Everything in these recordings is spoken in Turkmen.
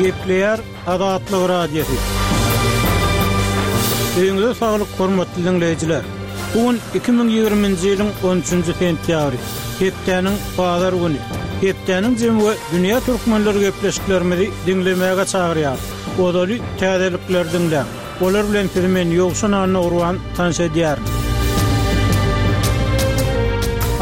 Gepleýär Azatlyk Radiosy. Öýüňize saglyk hormatly diňleýjiler! Bu gün 2020-nji ýylyň 13-nji sentýabry, hepdäniň bazar güni. Hepdäniň jemi we dünýä türkmenleri gepleşiklerimizi diňlemäge çagyrýarys. Ozaly täzelikleri diňläň. Olar bilen sizi men Ýowşan Annagurban tanyş edýärin.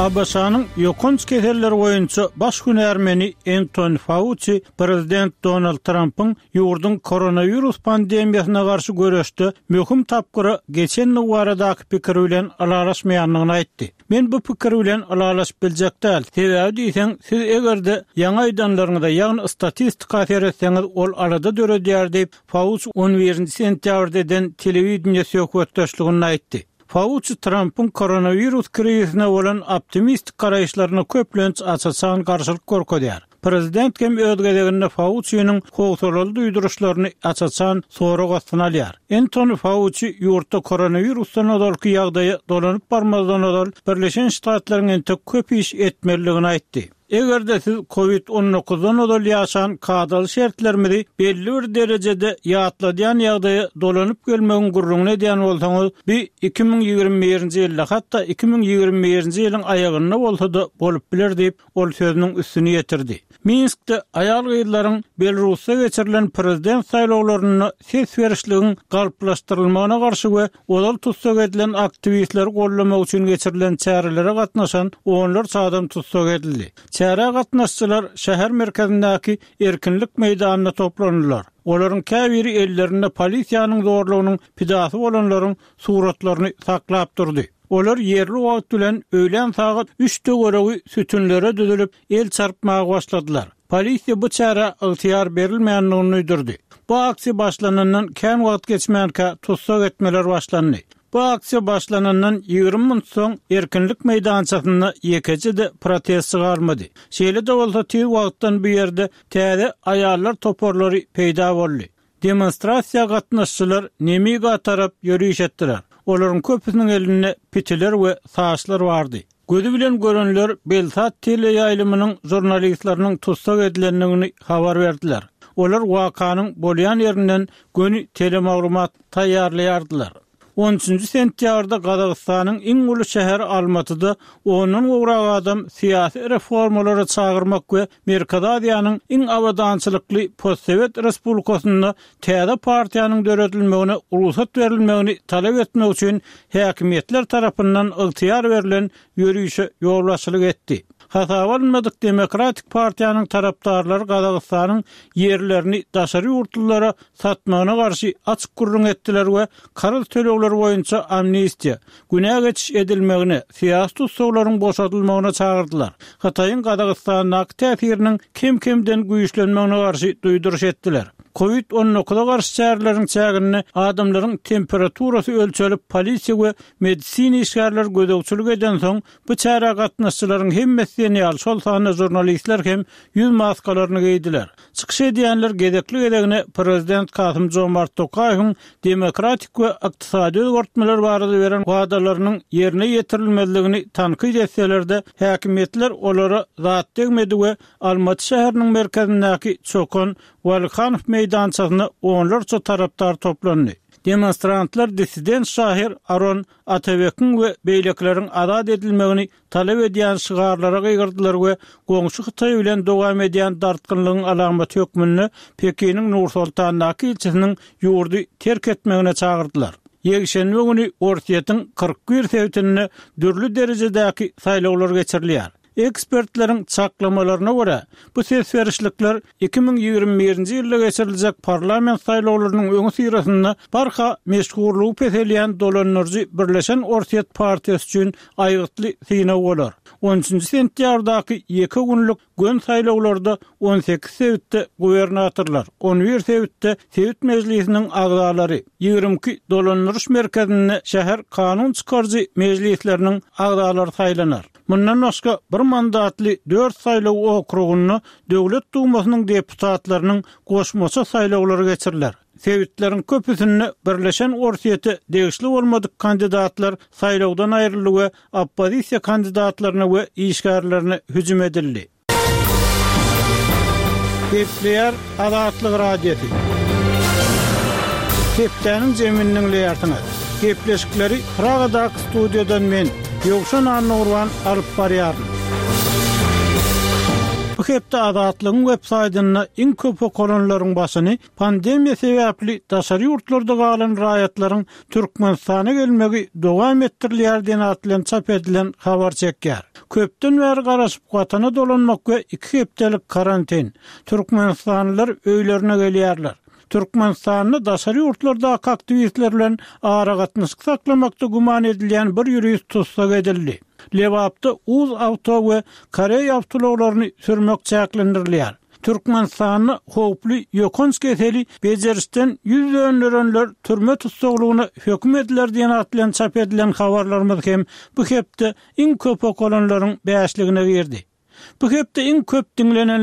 ABŞ-nyň ýokanç keseller boýunça baş hünärmeni Entoni Fauçi prezident Donald Trampyň ýurduň koronawirus pandemiýasyna garşy göreşde möhüm tapgyra geçendigi baradaky pikiri bilen ylalaşmaýandygyny aýtdy. Men bu pikir bilen ylalaşyp biljek däl, sebäbi diýseň, siz eger-de ýaňy aýdanlaryňyza, ýagny statistika seretseňiz, ol alada döredýär diýip, Fauçi on birinji sentýabrda eden telewideniýe söhbetdeşliginde aýtdy. Fauçi Trampyň koronawirus krizisine bolan optimistik garaýyşlaryna köplenç aç-açan garşylyk görkezýär. Prezident hem öz gezeginde Fauçiniň howsalaly duýduryşlaryny aç-açan sorag astyna alýar. Entoni Fauçi ýurtda koronawirusdan ozalky ýagdaýa dolanyp barmazdan ozal Birleşen Ştatlaryň entek köp iş etmelidigini aýtdy. Eger-de siz kowid on dokuzdan ozal ýaşan kadaly şertlerimizi belli bir derejede ýatladýan ýagdaýa dolanyp gelmegiň gürrüňini edýän bolsaňyz, bi 2021-nji ýylda, hatda 2021-nji ýylyň aýagynda bolsa-da bolup biler diýip, ol sözüniň üstüni ýetirdi. Minskde aýal-gyzlaryň Belarusda geçirilen prezident saýlawlarynda ses berişligiň galplaşdyrylmagyna garşy we Ozal tussag edilen aktiwistleri goldamak üçin geçirilen çärelere gatnaşan onlarça adam tussag edildi. Çärä gatnaşyjylar şäher merkezindäki Erkinlik meýdanynda toplandylar. Olaryň käbiri ellerinde polisiýanyň zorlugynyň pidasy bolanlaryň suratlaryny saklap durdy. Olar ýerli wagt bilen öýlän sagat üç töweregi sütünlere düzülip, el çarpmaga başladylar. Polisiýa bu çärä ygtyýar berilmändigini duýdurdy. Bu aksiýa başlanandan kän wagt geçmänkä tussag etmeler başlandy. Bu aksiýa başlanandan 20 munt soň Erkinlik meýdançasynda ýekeje-de protestçi galmady. Şeýle-de bolsa tiz wagtdan bu ýerde täze aýallar toparlary peýda boldy. Demonstrasiýa gatnaşyjylar Nemiga tarap ýöriş etdiler. Olaryň köpüsiniň elinde pitiler we saçlar bardy. Gözi bilen görenler Belsat teleýaýlymynyň žurnalistleriniň tussag edilendigini habar berdiler. Olar wakanyň bolýan ýerinden göni telemaglumat taýýarlaýardylar. On üçünji sentýabrda Gazagystanyň iň uly şäheri Almatyda ondan gowrak adam syýasy reformalara çagyrmak we Merkezi Aziýanyň iň abadançylykly postsowet respublikasynda täze partiýanyň döredilmegine rugsat berilmegini talap etmek üçin häkimiýetler tarapyndan ygtyýar berlen ýörişe ýolbaşçylyk etdi. Hasaba alynmadyk Demokratik partiýanyň tarapdarlary Gazagystanyň ýerlerini daşary ýurtlulara satmagyna garşy açyk gürrüň etdiler we karz tölegleri boýunça amnistiýa, günä geçiş edilmegine, syýasy tussaglaryň boşadylmagyna çagyrdylar. Hytaýyň Gazagystandaky täsiriniň kem-kemden güýçlenmegine garşy duýduryş etdiler. Kowid on dokuza garşy çäreleriň çäginde adamlaryň temperaturasy ölçelip, polisiýa we medisina işgärleri gözegçilik edensoň, Bu çärä gatnaşyjylaryň hemmesi diýen ýaly, şol sanda žurnalistler hem ýüz maskalaryny geýdiler. Çykyş edýänler gezekli-gezegine prezident Kasym-Jomart Tokaýewiň demokratik we ykdysady özgertmeler barada beren wadalarynyň ýerine ýetirilmezligini tankyt etseler-de, häkimiýetler olara zat degmedi we Almaty şäheriniň merkezindäki Çokan Walikanow meýdançasynda onlarça tarapdar toplandy. Demonstrantlar dissident şahyr Aron Atabekiň we beýlekileriň azat edilmegini talap edýän şygarlara gygyrdylar we goňşy Hytaý bilen dowam edýän dartgynlygyň alamaty hökmünde Pekiniň Nur-Soltandaky ilçisiniň ýurdy terk etmegine çagyrdylar. Ýekşenbe güni Orsýetiň 41 sebitinde dürli derejedäki saýlawlar geçirilýär. Ekspertleriň çaklamalaryna görä, bu ses berişlikler 2021-nji ýylda geçiriljek parlament saýlawlarynyň öňüsyrasynda barha meşhurlygy peselýän dolandyryjy Birleşen Orsýet partiýasy üçin aýgytly synag bolar. On üçünji sentýabrdaky ýeke günlük göni saýlawlarda 18 sebitde gubernatorlar, on bir sebitde sebit mejlisiniň agzalary, 22 dolandyryş merkezinde şäher kanun çykaryjy mejlisleriniň agzalary saýlanar. Mundan başga, bir mandatly dört saýlaw okrugynda Döwlet Dumasynyň deputatlarynyň goşmaça saýlawlary geçiriler. Sebitleriň köpüsinde Birleşen Orsýete degişli bolmadyk kandidatlar saýlawdan aýryldy we oppozisiýa kandidatlaryna we işgärlerine hüjüm edildi. Gepleýär Azatlyk Radiosy. Hepdäniň jemini diňleýärsiňiz. Gepleşikleri Pragadaky studiýadan men, Ýowşan Annagurban alyp barýaryn. Bu hepde Azatlygyň websaýtynda iň köp okalanlaryň başyny Pandemiýa sebäpli daşary ýurtlarda galan raýatlaryň Türkmenistana gelmegi dowam etdirilýär diýen at bilen çap edilen habar çekýär. Köpden bäri garaşyp Watana dolanmak we iki hepdelik karantin. Türkmenistanlylar öýlerine gelýärler. Türkmenistanda daşary ýurtlardaky aktiwistler bilen aragatnaşyk saklamakda güman edilýän bir ýurist tussag edildi. Lebapda Uz awto we koreý awtoulaglaryny sürmek çäklendirilýär. Türkmenistanda howply ýokanç keseli bejerişden ýüz dönderenler türme tussaglygyna höküm ediler diýen at bilen çap edilen habarlarymyz hem bu hepde iň köp okalanlaryň bäşligine girdi. Bu hepde iň köp diňlenenler.